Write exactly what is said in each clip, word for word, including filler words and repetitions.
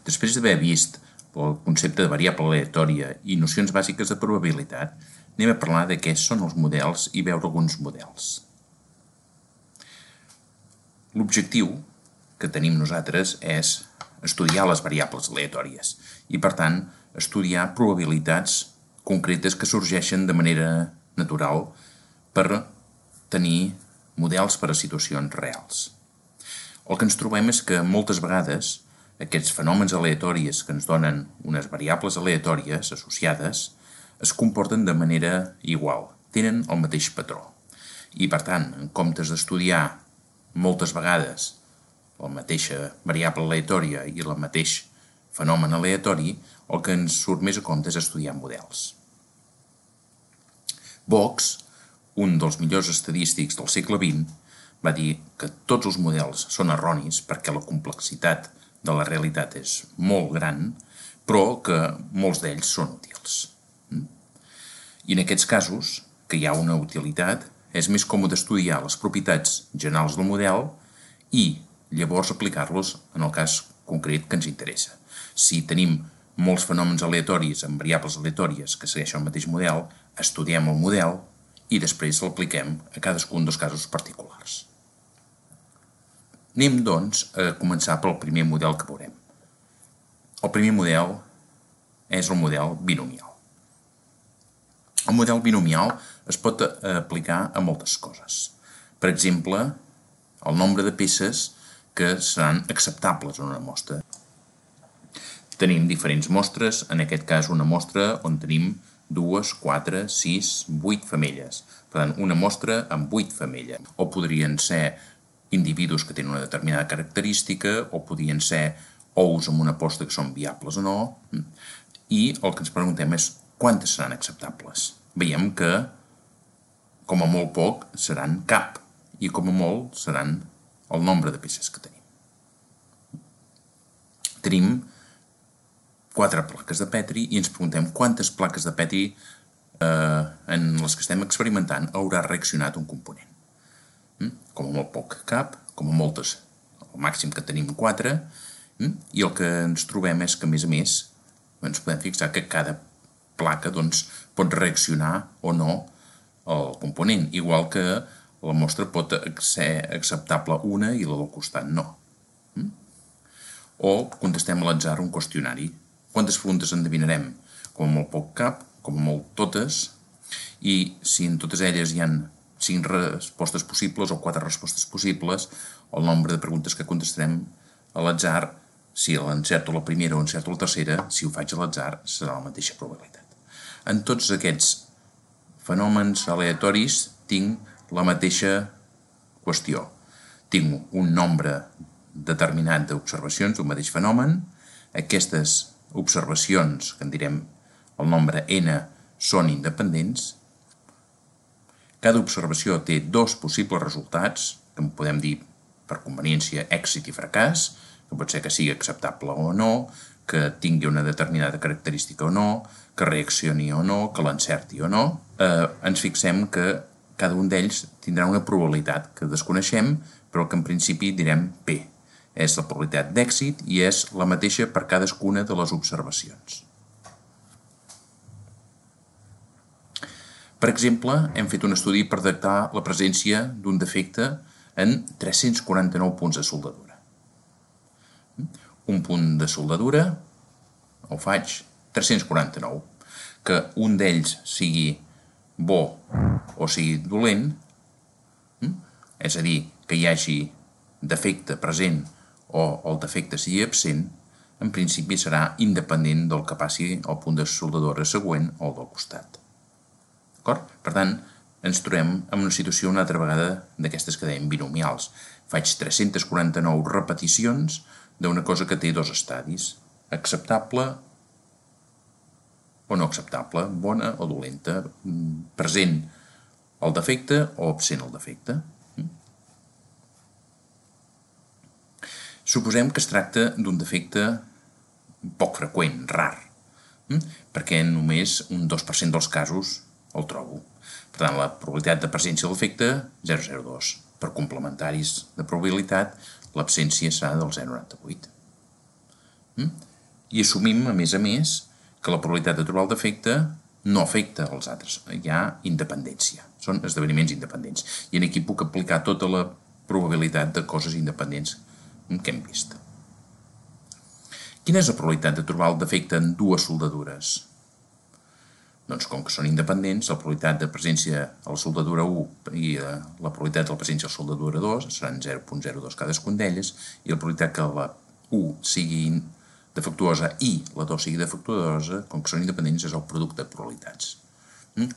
Després d'haver vist el concepte de variable aleatòria i nocions bàsiques de probabilitat, anem a parlar de què són els models i veure alguns models. L'objectiu que tenim nosaltres és estudiar les variables aleatòries i, per tant, estudiar probabilitats concretes que sorgeixen de manera natural per tenir models per a situacions reals. El que ens trobem és que moltes vegades aquests fenòmens aleatoris que ens donen unes variables aleatòries associades es comporten de manera igual, tenen el mateix patró. I, per tant, en comptes d'estudiar moltes vegades la mateixa variable aleatòria i el mateix fenomen aleatori, el que ens surt més a compte és estudiar models. Box, un dels millors estadístics del segle vint, va dir que tots els models són erronis perquè la complexitat de la realitat és molt gran, però que molts d'ells són útils. I en aquests casos, que hi ha una utilitat, és més còmode estudiar les propietats generals del model i llavors aplicar-los en el cas concret que ens interessa. Si tenim molts fenòmens aleatoris amb variables aleatòries que segueixen el mateix model, estudiem el model i després l'apliquem a cadascun dels casos particulars. Anem, doncs, a començar pel primer model que veurem. El primer model és el model binomial. El model binomial es pot aplicar a moltes coses. Per exemple, el nombre de peces que seran acceptables en una mostra. Tenim diferents mostres, en aquest cas una mostra on tenim dues, quatre, sis, vuit femelles. Per tant, una mostra amb vuit femelles. O podrien ser individus que tenen una determinada característica, o podrien ser ous amb una posta que són viables o no. I el que ens preguntem és quantes seran acceptables. Veiem que, com a molt poc, seran cap, i com a molt seran el nombre de peces que tenim. Tenim quatre plaques de Petri i ens preguntem quantes plaques de Petri eh, en les que estem experimentant haurà reaccionat un component. Com a molt poc cap, com a moltes, el màxim que tenim quatre, i el que ens trobem és que, a més a més, ens podem fixar que cada placa doncs, pot reaccionar o no al component, igual que la mostra pot ser acceptable una i la del costat no. O contestem a l'atzar un qüestionari. Quantes preguntes endevinarem? Com a molt poc cap, com a molt totes, i si en totes elles hi ha cinc respostes possibles o quatre respostes possibles, el nombre de preguntes que contestarem a l'atzar, si l'encerto la primera o encerto la tercera, si ho faig a l'atzar, serà la mateixa probabilitat. En tots aquests fenòmens aleatoris tinc la mateixa qüestió. Tinc un nombre determinat d'observacions d'un mateix fenomen. Aquestes observacions, que en direm el nombre n, són independents. Cada observació té dos possibles resultats, que en podem dir per conveniència èxit i fracàs, que pot ser que sigui acceptable o no, que tingui una determinada característica o no, que reaccioni o no, que l'encerti o no. Eh, ens fixem que cada un d'ells tindrà una probabilitat que desconeixem, però que en principi direm P. És la probabilitat d'èxit i és la mateixa per cadascuna de les observacions. Per exemple, hem fet un estudi per detectar la presència d'un defecte en tres-cents quaranta-nou punts de soldadura. Un punt de soldadura el faig tres-cents quaranta-nou. Que un d'ells sigui bo o sigui dolent, és a dir, que hi hagi defecte present o el defecte sigui absent, en principi serà independent del que passi al punt de soldadura següent o del costat. Per tant, ens trobem en una situació una altra vegada d'aquestes que dèiem binomials. Faig tres-cents quaranta-nou repeticions d'una cosa que té dos estadis, acceptable o no acceptable, bona o dolenta, present el defecte o absent el defecte. Suposem que es tracta d'un defecte poc freqüent, rar, perquè només un dos per cent dels casos el trobo. Per tant, la probabilitat de presència del defecte, zero coma zero dos. Per complementaris de probabilitat, l'absència serà del zero coma noranta-vuit. I assumim, a més a més, que la probabilitat de trobar el defecte no afecta els altres. Hi ha independència. Són esdeveniments independents. I aquí puc aplicar tota la probabilitat de coses independents que hem vist. Quina és la probabilitat de trobar el defecte en dues soldadures? Doncs com que són independents, la probabilitat de presència a la soldadura u i la probabilitat de la presència a la soldadura dos seran zero coma zero dos cadascun d'elles, i la probabilitat que la u sigui defectuosa i la dos sigui defectuosa, com que són independents, és el producte de probabilitats.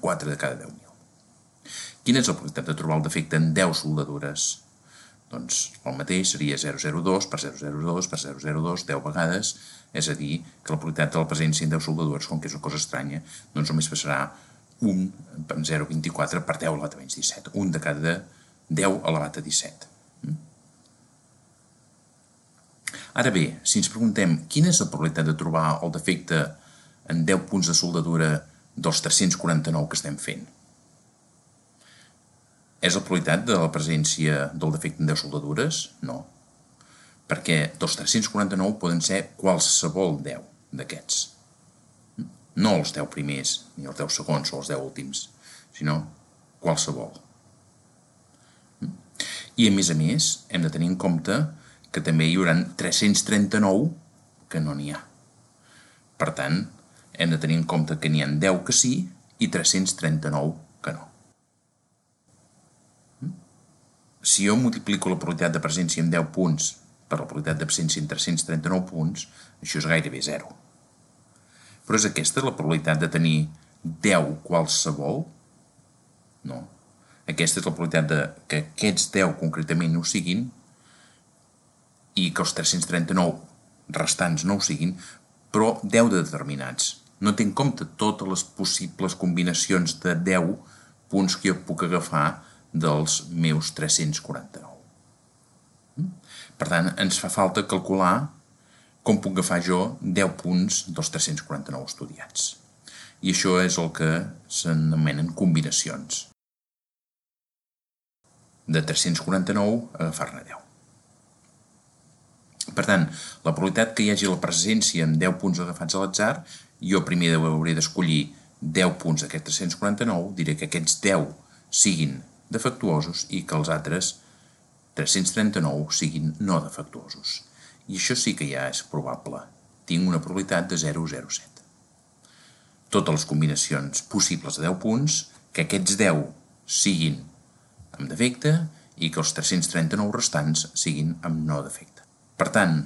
quatre de cada deu mil. Quina és la probabilitat de trobar el defecte en deu soldadures? Doncs el mateix seria zero coma zero dos per zero coma zero dos per zero coma zero dos deu vegades, és a dir, que la probabilitat de la presència en deu soldadures, com que és una cosa estranya, doncs només passarà un per zero coma vint-i-quatre per deu elevat a menys disset. un de cada deu elevat a disset. Ara bé, si ens preguntem quina és la probabilitat de trobar el defecte en deu punts de soldadura dels tres-cents quaranta-nou que estem fent, és la probabilitat de la presència del defecte en deu soldadures? No. Perquè dels tres-cents quaranta-nou poden ser qualsevol deu d'aquests. No els deu primers, ni els deu segons o els deu últims, sinó qualsevol. I a més a més, hem de tenir en compte que també hi haurà tres-cents trenta-nou que no n'hi ha. Per tant, hem de tenir en compte que n'hi ha deu que sí i tres-cents trenta-nou que no. Si jo multiplico la probabilitat de presència en deu punts per la probabilitat de presència en tres-cents trenta-nou punts, això és gairebé zero. Però és aquesta la probabilitat de tenir deu qualsevol? No. Aquesta és la probabilitat de que aquests deu concretament no ho siguin i que els tres-cents trenta-nou restants no ho siguin, però deu de determinats. No té en compte totes les possibles combinacions de deu punts que jo puc agafar dels meus tres-cents quaranta-nou. Per tant, ens fa falta calcular com puc agafar jo deu punts dels tres-cents quaranta-nou estudiats. I això és el que s'anomenen combinacions. De tres-cents quaranta-nou, agafar-ne deu. Per tant, la probabilitat que hi hagi la presència en deu punts agafats a l'atzar, jo primer hauré d'escollir deu punts d'aquests tres-cents quaranta-nou, diré que aquests deu siguin defectuosos i que els altres tres-cents trenta-nou siguin no defectuosos. I això sí que ja és probable. Tinc una probabilitat de zero coma zero set. Totes les combinacions possibles de deu punts, que aquests deu siguin amb defecte i que els tres-cents trenta-nou restants siguin amb no defecte. Per tant,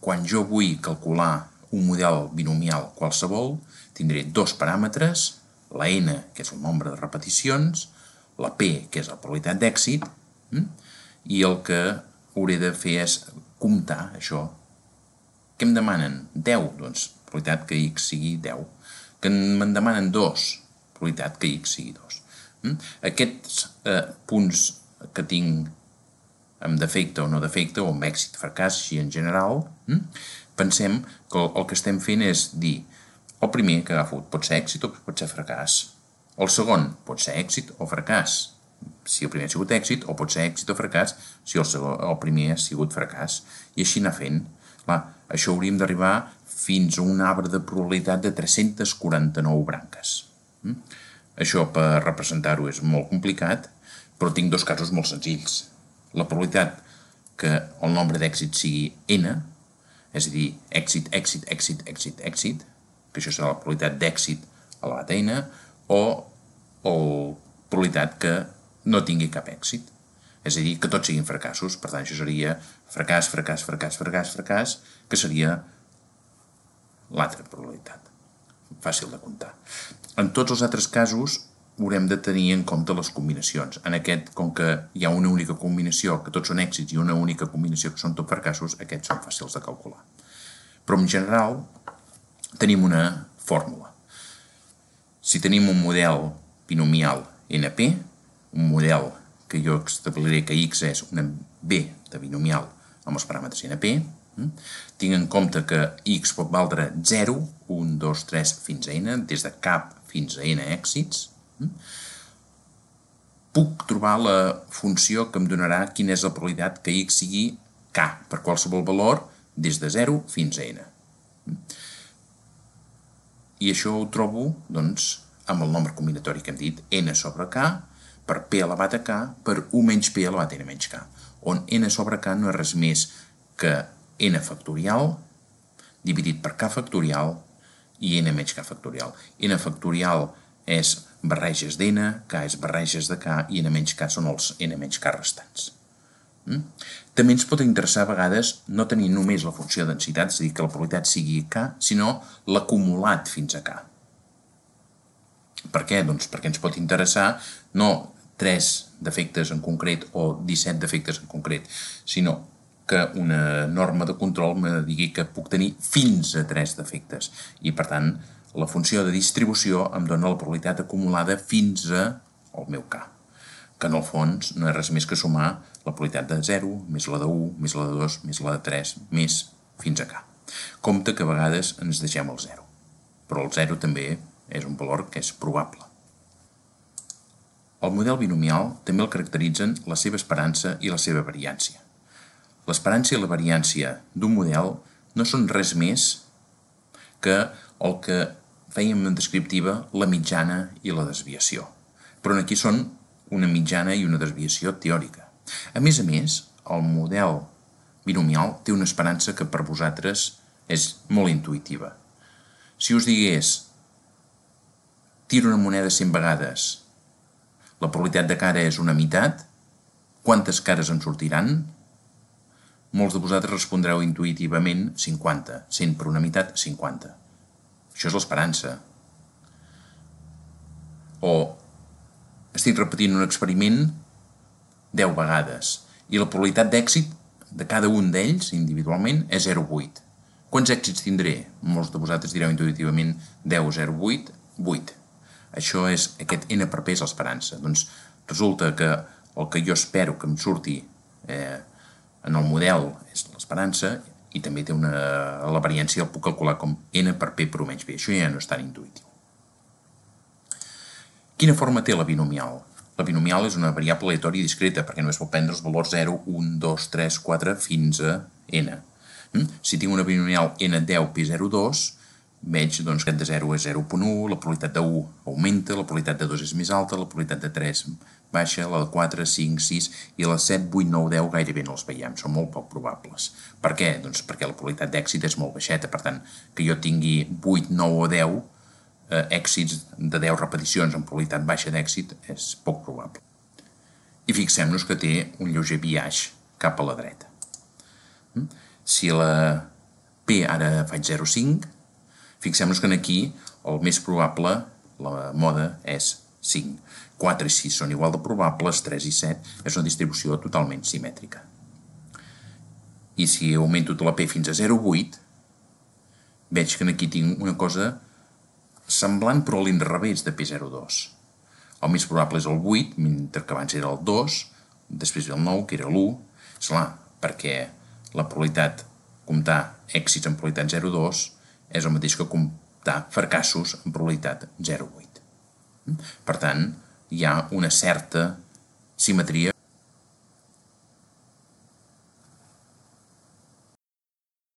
quan jo vull calcular un model binomial qualsevol, tindré dos paràmetres, la n, que és el nombre de repeticions, la p, que és la probabilitat d'èxit, i el que hauré de fer és comptar això. Què em demanen? deu, doncs probabilitat que x sigui deu. Que me'n demanen dos, probabilitat que x sigui dos. Aquests eh, punts que tinc amb defecte o no defecte, o amb èxit, fracàs, així en general, pensem que el que estem fent és dir el primer que agafo pot ser èxit o pot ser fracàs. El segon pot ser èxit o fracàs, si el primer ha sigut èxit, o pot ser èxit o fracàs si el, segon, el primer ha sigut fracàs. I així anar fent. Clar, això hauríem d'arribar fins a un arbre de probabilitat de tres-cents quaranta-nou branques. Això per representar-ho és molt complicat, però tinc dos casos molt senzills. La probabilitat que el nombre d'èxit sigui n, és a dir, èxit, èxit, èxit, èxit, èxit, que això serà la probabilitat d'èxit elevat a n, o la probabilitat que no tingui cap èxit. És a dir, que tots siguin fracassos. Per tant, això seria fracàs, fracàs, fracàs, fracàs, fracàs, que seria l'altra probabilitat. Fàcil de comptar. En tots els altres casos, haurem de tenir en compte les combinacions. En aquest, com que hi ha una única combinació, que tots són èxits, i una única combinació que són tot fracassos, aquests són fàcils de calcular. Però en general tenim una fórmula. Si tenim un model binomial N P, un model que jo establiré que x és una b de binomial amb els paràmetres N P, tinc en compte que x pot valdre zero, un, dos, tres, fins a n, des de cap fins a n èxits, puc trobar la funció que em donarà quina és la probabilitat que x sigui k per qualsevol valor des de zero fins a n. I això ho trobo, doncs, amb el nombre combinatori que hem dit, n sobre k, per p elevat a k, per u menys p elevat a n menys k, on n sobre k no és res més que n factorial dividit per k factorial i n menys k factorial. N factorial és barreges d'n, k és barreges de k i n menys k són els n menys k restants. També ens pot interessar a vegades no tenir només la funció de densitat, és a dir, que la probabilitat sigui k, sinó l'acumulat fins a k. Per què? Doncs perquè ens pot interessar no tres defectes en concret o disset defectes en concret, sinó que una norma de control me digui que puc tenir fins a tres defectes. I, per tant, la funció de distribució em dona la probabilitat acumulada fins al meu k, que en el fons no és res més que sumar la probabilitat de zero, més la de u, més la de dos, més la de tres, més fins a k. Compte que a vegades ens deixem el zero, però el zero també és un valor que és probable. El model binomial també el caracteritzen la seva esperança i la seva variància. L'esperança i la variància d'un model no són res més que el que fèiem en descriptiva la mitjana i la desviació, però aquí són una mitjana i una desviació teòrica. A més a més, el model binomial té una esperança que per vosaltres és molt intuïtiva. Si us digués tiro una moneda cent vegades, la probabilitat de cara és una meitat, quantes cares em sortiran? Molts de vosaltres respondreu intuïtivament cinquanta, cent per una meitat, cinquanta. Això és l'esperança. O estic repetint un experiment deu vegades i la probabilitat d'èxit de cada un d'ells individualment és zero coma vuit. Quants èxits tindré? Molts de vosaltres direu intuïtivament deu, zero coma vuit, vuit. Això és, aquest n per p és l'esperança. Doncs resulta que el que jo espero que em surti eh, en el model és l'esperança i també té una, la variància el puc calcular com n per p per u menys p. Això ja no és tan intuïtiu. Quina forma té la binomial? La binomial és una variable aleatòria discreta perquè només pot prendre els valors zero, un, dos, tres, quatre fins a n. Si tinc una binomial n deu p zero coma dos, veig doncs, que de zero és zero coma u, la probabilitat de u augmenta, la probabilitat de dos és més alta, la probabilitat de tres baixa, la de quatre, cinc, sis i les set, vuit, nou, deu gairebé no els veiem, són molt poc probables. Per què? Doncs perquè la probabilitat d'èxit és molt baixeta, per tant, que jo tingui vuit, nou o deu eh, èxits de deu repeticions amb probabilitat baixa d'èxit és poc probable. I fixem-nos que té un lleuger biaix cap a la dreta. Si la p ara faig zero coma cinc, fixem-nos que aquí el més probable, la moda, és cinc. quatre i sis són igual de probables, tres i set és una distribució totalment simètrica. I si augmento la p fins a zero coma vuit, veig que aquí tinc una cosa semblant però a l'inrevés de p zero coma dos. El més probable és el vuit, mentre que abans era el dos, després ve el nou, que era l'u. Esclar, perquè la probabilitat, comptar èxits en probabilitat zero coma dos, és el mateix que comptar fracassos en probabilitat zero coma vuit. Per tant, hi ha una certa simetria